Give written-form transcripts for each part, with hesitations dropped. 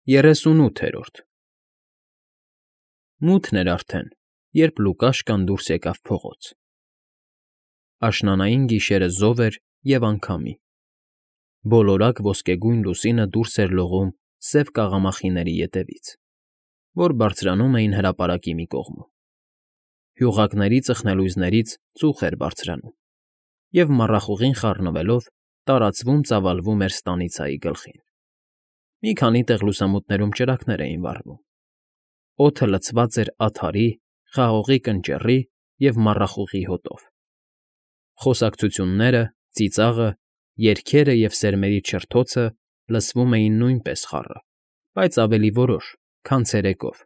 38-րդ Մութն էր արդեն, երբ Լուկաշկան դուրս եկավ փողոց. աշնանային գիշերը զով էր և անգամի, բոլորակ ոսկեգույն լուսինը դուրս էր լողում սև կաղամախիների ետևից, որ բարձրանում էին հրապարակի մի կողմում. հյուղակների ծխնելույզներից ծուխ էր բարձրանում և, մառախուղին խառնվելով, տարածվում ծավալվում էր ստանիցայի գլխին. մի քանի տեղ լուսամուտներում ճրագներ էին վառվում, օդը լցված էր ադարի, խաղողի կնճռի և մառախուղի հոտով. խոսակցությունները, ծիծաղը, երգերը և սերմերի չրթոցը լսվում էին նույնպես խառը, բայց ավելի որոշ, քան ցերեկով.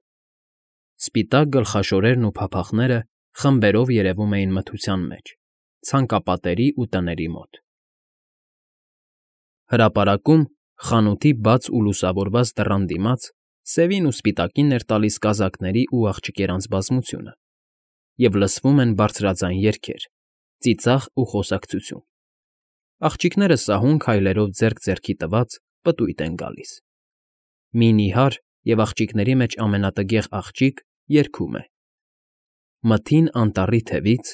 սպիտակ գլխաշորերն ու փափախները խմբերով երևում էին մթության մեջ, ցանկապատերի ու տների մոտ. Հրապարակում, խանութի բաց ու լուսավորված դռան դիմաց, սևին ու սպիտակին էր տալիս կազակների ու աղջիկերանց բազմությունը, և լսվում են բարձրաձայն երգեր, ծիծաղ ու խոսակցություն. աղջիկները սահուն քայլերով ձեռք ձեռքի տված պտույտ են գալիս. մի նիհար և աղջիկների մեջ ամենատգեղ աղջիկ երգում է. Մթին անտառի թևից,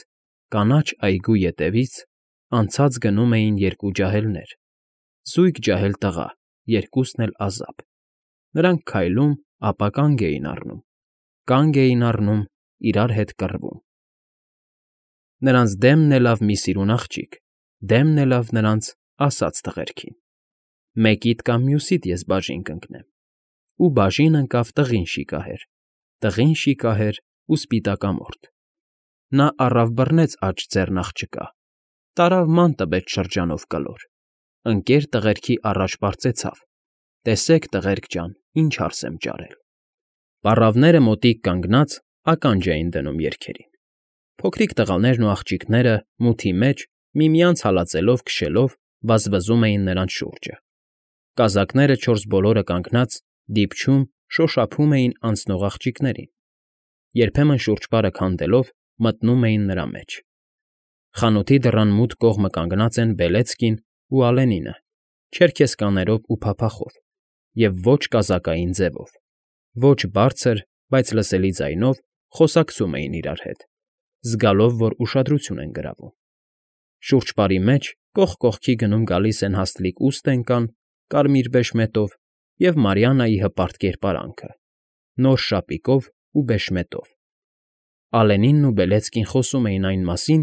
կանաչ այգու ետևից անցած գնում էին երկու ջահելներ, զույգ ջահել տղա, երկուսն էլ ազապ. նրանք քայլում, ապա կանգ էին առնում, իրար հետ կռվում. Նրանց դեմն էլավ մի սիրուն աղջիկ, դեմն էլավ նրանց ասաց տղերքին. մեկիդ կամ մյուսիդ ես բաժին կընկնեմ, ու բաժին ընկավ տղին շիկահեր ու սպիտակամորթ. նա առավ բռնեց աջ ձեռն աղջկա, տարավ ման տվեց շրջանով կլոր, ընկեր տղերքի առաջ պարծեցավ. տեսեք, տղերք ջան, ինչ հարս եմ ճարել. պառավները մոտիկ կանգնած ականջ էին դնում երգերին. փոքրիկ տղաներն ու աղջիկները մութի մեջ, միմյանց հալածելով քշելով, վազվզում էին նրանց շուրջը. կազակները չորս բոլորը կանգնած, դիպչում, շոշափում էին անցնող աղջիկներին, երբեմն շուրջպարը քանդելով մտնում էին նրա մեջ. խանութի դռան մութ կողմը կանգնած են Բելեցկին ու Ալենինը, չերքեզկաներով ու փափախով, և ոչ կազակային ձևով, ոչ բարձր, բայց լսելի ձայնով խոսակցում էին իրար հետ, զգալով, որ ուշադրություն են գրավում. շուրջպարի մեջ կողք կողքի գնում֊գալիս են հաստլիկ ուստենկան, կարմիր բեշմետով և Մարիաննայի հպարտ կերպարանքը, նոր շապիկով ու բեշմետով. Ալենինն ու Բելեցկին խոսում էին այն մասին,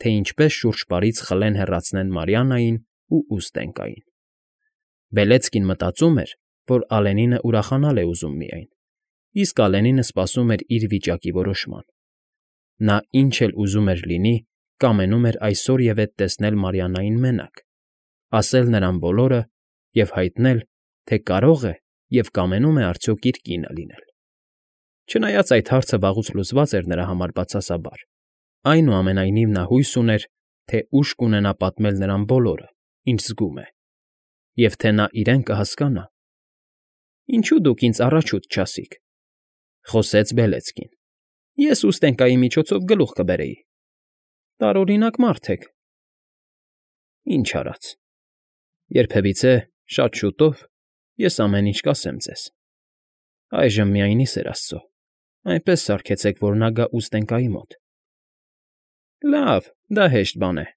թե ինչպես շուրջպարից խլեն հեռացնեն Մարիաննային ու ուստենկային. Բելեցկին մտածում էր, որ Ալենինը ուրախանալ է ուզում միայն, իսկ Ալենինը սպասում էր իր վիճակի որոշման. նա ինչ էլ ուզում էր լինի, կամենում էր այսօր և էդ տեսնել Մարիաննային մենակ, ասել նրան բոլորը և հայտնել, թե կարո՞ղ է և կամենում է արդյոք իր կինը լինել. Չնայած այդ հարցը վաղուց լուծված էր նրա համար բացասաբար, այնուամենայնիվ նա հույս ուներ, թե ուժ կունենա պատմել նրան բոլորը, ինչ զգում է, և թե նա իրեն կհասկանա. Ինչո՞ւ դուք ինձ առաջուց չասիք,֊ խոսեց Բելեցկին. ես ուստենկայի միջոցով գլուխ կբերեի. տարօրինակ մարդ եք… Ինչ արած, երբևիցե, շատ շուտով, ես ամեն ինչ կասեմ ձեզ. այժմ միայնի սեր աստծո, այնպես սարքեցեք, որ նա գա ուստենկայի մոտ… Լավ, դա հեշտ բան է…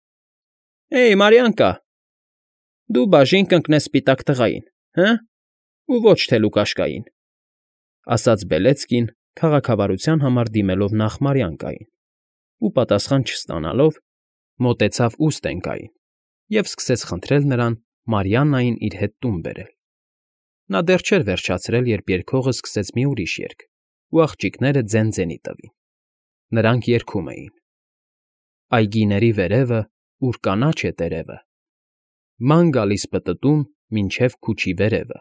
Հեյ, Մարիանկա, դու բաժին կընկնես սպիտակ տղային, հը՞, ու ոչ թե Լուկաշկային,֊ ասաց Բելեցկին, քաղաքավարության համար դիմելով նախ Մարիանկային ու, պատասխան չստանալով, մոտեցավ ուստենկային և սկսեց խնդրել նրան Մարիաննային իր հետ տուն բերել. նա դեռ չէր վերջացրել, երբ երգողը սկսեց մի ուրիշ երգ, ու աղջիկները ձեն֊ձենի տվին. նրանք երգում էին. Այգիների վերևը, ուր կանաչ է տերևը, ման գալիս պտտում մինչև քուչի վերևը,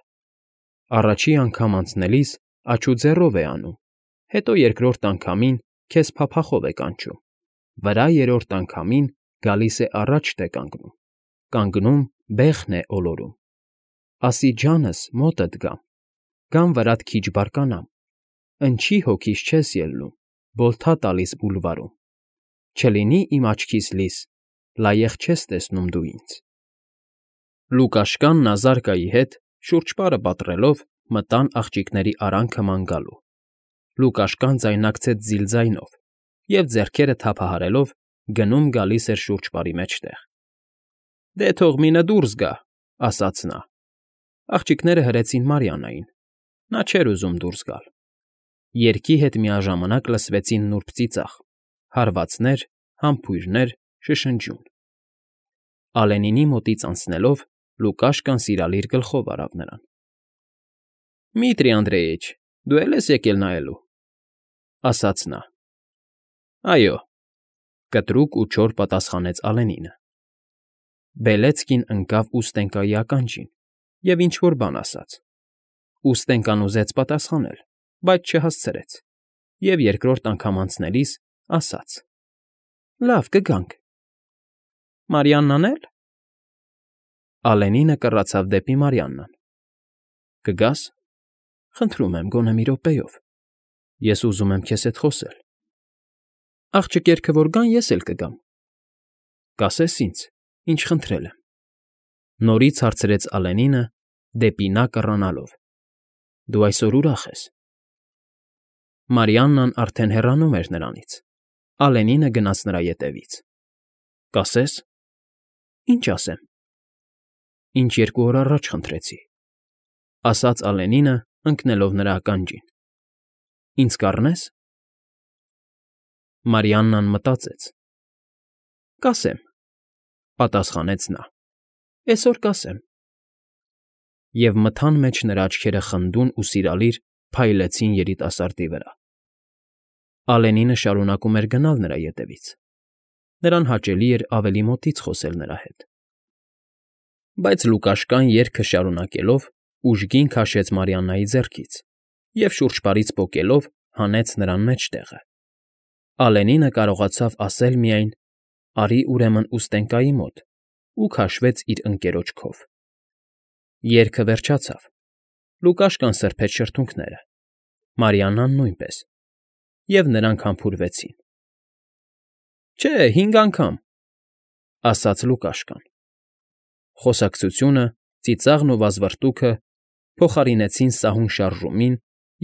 առաջի անգամ անցնելիս աչուձեռով է անում, հետո երկրորդ անգամին քեզ փափախով է կանչում, վրա երրորդ անգամին գալիս է առաջ թե կանգնում, կանգնում բեղն է ոլորում, ասի ջանս մոտդ գամ, գամ վրադ քիչ բարկանամ, ընչի հոգիս չես ելնում, բոլթա տալիս բուլվարում, չլինի իմ աչքիս լիս, լայեղ չես տեսնում դու ինձ… Լուկաշկան Նազարկայի հետ, շուրջպարը պատռելով, մտան աղջիկների արանքը ման գալու։ Լուկաշկան ձայնարկեց զիլ ձայնով և, ձեռքերը թափահարելով, գնում֊գալիս էր շուրջպարի մեջտեղ։ ֊ Դե թող մինը դուրս գա,֊ ասաց նա։ Աղջիկները հրեցին Մարիաննային։ Նա չէր ուզում դուրս գալ։ Երգի հետ միաժամանակ լսվեցին նուրբ ծիծաղ, հարվածներ, համբույրներ, շշնջյուն։ Ալենինի մոտից անցնելով՝ Լուկաշկան սիրալիր գլխով արավ նրան։ ֊ Դմիտրի Անդրեիչ, դու է՞լ ես եկել նայելու,֊ ասաց նա։ ֊ Այո,֊ կտրուկ ու չոր պատասխանեց Ալենինը։ Բելեծկին ընկավ ուստենկայի ականջին և ինչ֊որ բան ասաց։ Ուստենկան ուզեց պատասխանել, բայց չհասցրեց և երկրորդ անգամ անցնելիս ասաց. ֊ Լավ, կգանք։ ֊ Մարիաննան է՞լ։ Ալենինը կռացավ դեպի Մարիաննան։ ֊ Կգա՞ս։ Խնդրում եմ, գոնե մի րոպեով, ես ուզում եմ քեզ հետ խոսել։ ֊ Աղջկերքը որ գան, ես էլ կգամ։ ֊ Կասես ինձ, ինչ խնդրել եմ,֊ նորից հարցրեց Ալենինը, դեպի նա կռանալով։ ֊ Դու այսօր ուրախ ես։ Մարիաննան արդեն հեռանում էր նրանից։ Ալենինը գնաց նրա ետևից։ ֊ Կասես։ ֊ Ինչ ասեմ։ ֊ Ինչ 2 օր առաջ խնդրեցի,֊ ասաց Ալենինը, ընկնելով նրա ականջին։ ֊ Ինձ կառնե՞ս։ Մարիաննան մտածեց։ ֊ Կասեմ,֊ պատասխանեց նա,֊ էսօր կասեմ։ Եվ մթան մեջ նրա աչքերը խնդուն ու սիրալիր փայլեցին երիտասարդի վրա։ Ալենինը շարունակում էր գնալ նրա ետևից։ Նրան հաճելի էր ավելի մոտից խոսել նրա հետ։ Բայց Լուկաշկան երգը շարունակելով ուժգին քաշեց Մարիաննայի ձեռքից և շուրջպարից պոկելով հանեց նրան մեջտեղը։ Ալենինը կարողացավ ասել միայն. «Արի ուրեմն ուստենկայի մոտ» ու քաշվեց իր ընկերոջ քով։ Երգը վերջացավ։ Լուկաշկան սրբեց շրթունքները, Մարիաննան նույնպես, և նրանք համբուրվեցին։ ֊ Չէ, 5 անգամ,֊ ասաց Լուկաշկան։ Խոսակցությունը, ծիծաղն ու վազվռտուքը փոխարինեցին սահուն շարժումին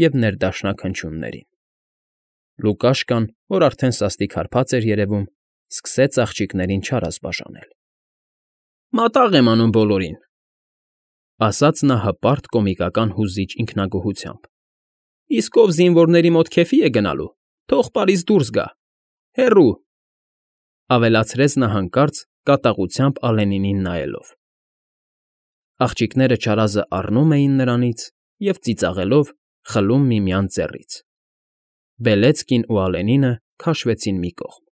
և ներդաշնակ հնչյուններին։ Լուկաշկան, որ արդեն սաստիկ հարբած էր երևում, սկսեց աղջիկներին չարազ բաժանել։ ֊ Մատաղ եմ անում բոլորին,֊ ասաց նա հպարտ կոմիկական հուզիչ ինքնագոհությամբ։֊ Իսկ ով զինվորների մոտ քեֆի է գնալու, թող պարից դուրս գա։ Հեռո՜ւ,֊ ավելացրեց նա հանկարծ կատաղությամբ Ալենինին նայելով։ Աղջիկները չարազը առնում էին նրանից և, ծիծաղելով, խլում միմյանց ձեռից։ Բելեծկին ու Ալենինը քաշվեցին մի կողմ։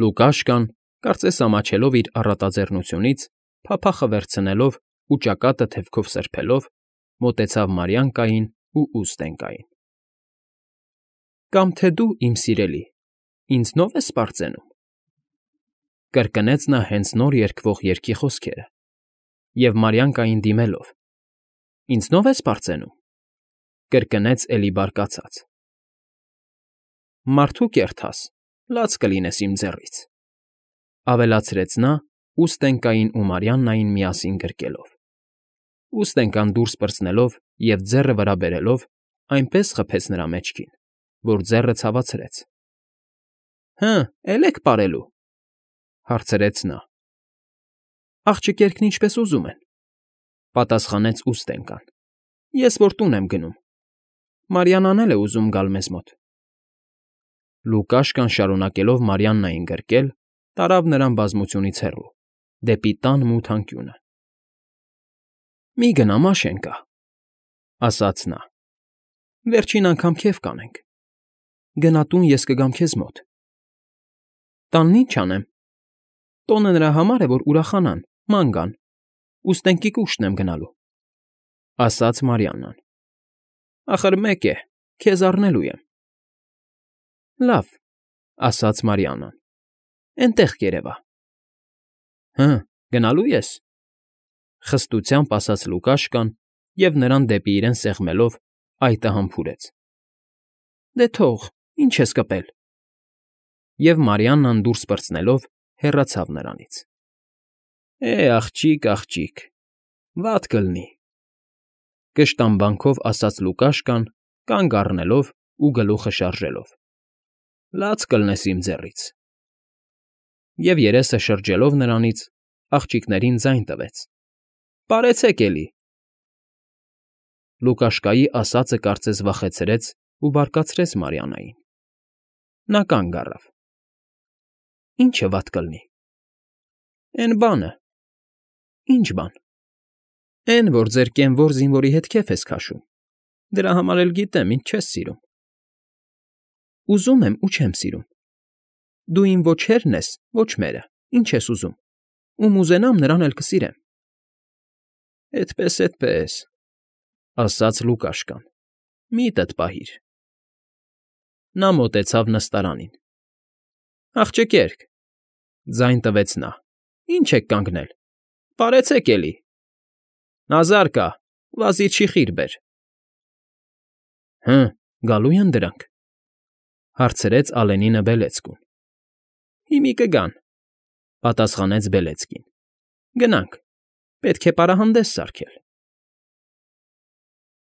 Լուկաշկան, կարծես ամաչելով իր առատաձեռնությունից, փափախը վերցնելով ու ճակատը թևքով սրբելով, մոտեցավ Մարիանկային ու ուստենկային։ ֊ Կամ թե դու, իմ սիրելի, ինձնո՞վ ես պարծենում,֊ կրկնեց նա հենց նոր երգվող երգի խոսքերը և, Մարիանկային դիմելով, ինձնո՞վ ես պարծենում,֊ կրկնեց էլի բարկացած։ Մարդու կերթաս, լաց կլինես իմ ձեռից,֊ ավելացրեց նա ուստենկային ու Մարիաննային միասին գրկելով։ Ուստենկան դուրս պրծնելով և ձեռը վրա բերելով այնպես խփեց նրա մեջքին, որ ձեռը ցավացրեց։ ֊ Հը, էլի եք պարելու,֊ հարցրեց նա։ ֊ Աղջկերքն ինչպես ուզում են,֊ պատասխանեց ուստենկան։ Ես որ տուն եմ գնում։ Մարիաննան էլ է ուզում գալ մեզ մոտ։ Լուկաշկան, շարունակելով Մարիաննային գրկել, տարավ նրան բազմությունից հեռու, դեպի տան մութ անկյունը։ ֊ Մի գնա, Մաշենկա,֊ ասաց նա։ Վերջին անգամ քեֆ կանենք։ Գնա տուն, ես կգամ քեզ մոտ։ ֊ Տանն ինչ անեմ։ Տոնը նրա համար է, որ ուրախանան, ման գան, ուստենկի կուշտն եմ գնալու,֊ ասաց Մարիաննան։ ֊ Ախր մեկ է, քեզ առնելու եմ։ ֊ Լավ,֊ ասաց Մարիաննան, էնտեղ կերևա։ ֊ Հը, գնալո՞ւ ես,֊ խստությամբ ասաց Լուկաշկան և, նրան դեպի իրեն սեղմելով, այտը համբուրեց։ ֊ Դե թող, ինչ ես կպել։ Եվ Մարիաննան դուրս պրծնելով հեռացավ նրանից։ ֊ Է, աղջիկ, աղջիկ, վատ կլինի։ Կշտամբանքով ասաց Լուկաշկան, կանգ առնելով ու գլուխը շարժելով։ Լաց կլնես իմ ձեռից։ Եվ երեսը շրջելով նրանից, աղջիկներին ձայն տվեց. Պարեցեք էլի։ Լուկաշկայի ասածը կարծես վախեցրեց ու բարկացրեց Մարիաննային։ Նա կանգ առավ։ Ի՞նչը վատ կլինի։ Էն բանը։ Ի՞նչ բան։ Էն, որ ձեր կենվոր զինվորի հետ քեֆ ես քաշում։ Դրա համար էլ գիտեմ, ինչ չես սիրում։ Ուզում եմ ու չեմ սիրում։ Դու իմ ոչ հերն ես, ոչ մերը։ Ինչ ես ուզում։ Ում ուզենամ, նրան էլ կսիրեմ։ Էդպես, ասաց Լուկաշկան։ Միտդ պահիր։ Նա մոտեցավ նստարանին։ Աղջկերք, ձայն տվեց նա։ Ինչ եք կանգնել։ Պարեցեք էլի։ Նազար կա, վազիր շիխիր բեր։ Հը, գալո՞ւ են դրանք, հարցրեց Ալենինը Բելեծկուն։ Հիմի կգան, պատասխանեց Բելեծկին։ Գնանք, պետք է պարահանդես սարքել։